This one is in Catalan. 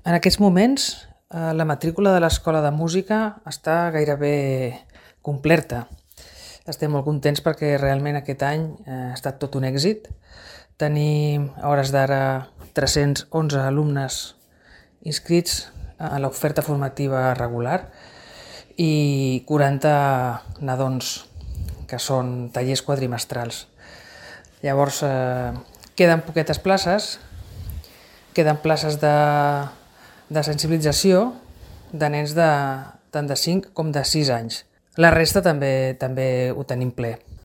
En aquests moments, la matrícula de l'Escola de Música està gairebé completa. Estem molt contents perquè realment aquest any ha estat tot un èxit. Tenim a hores d'ara 311 alumnes inscrits a l'oferta formativa regular i 40 nadons, que són tallers quadrimestrals. Llavors, queden poquetes places, queden places de sensibilització de nens tant de 5 com de 6 anys. La resta també ho tenim ple.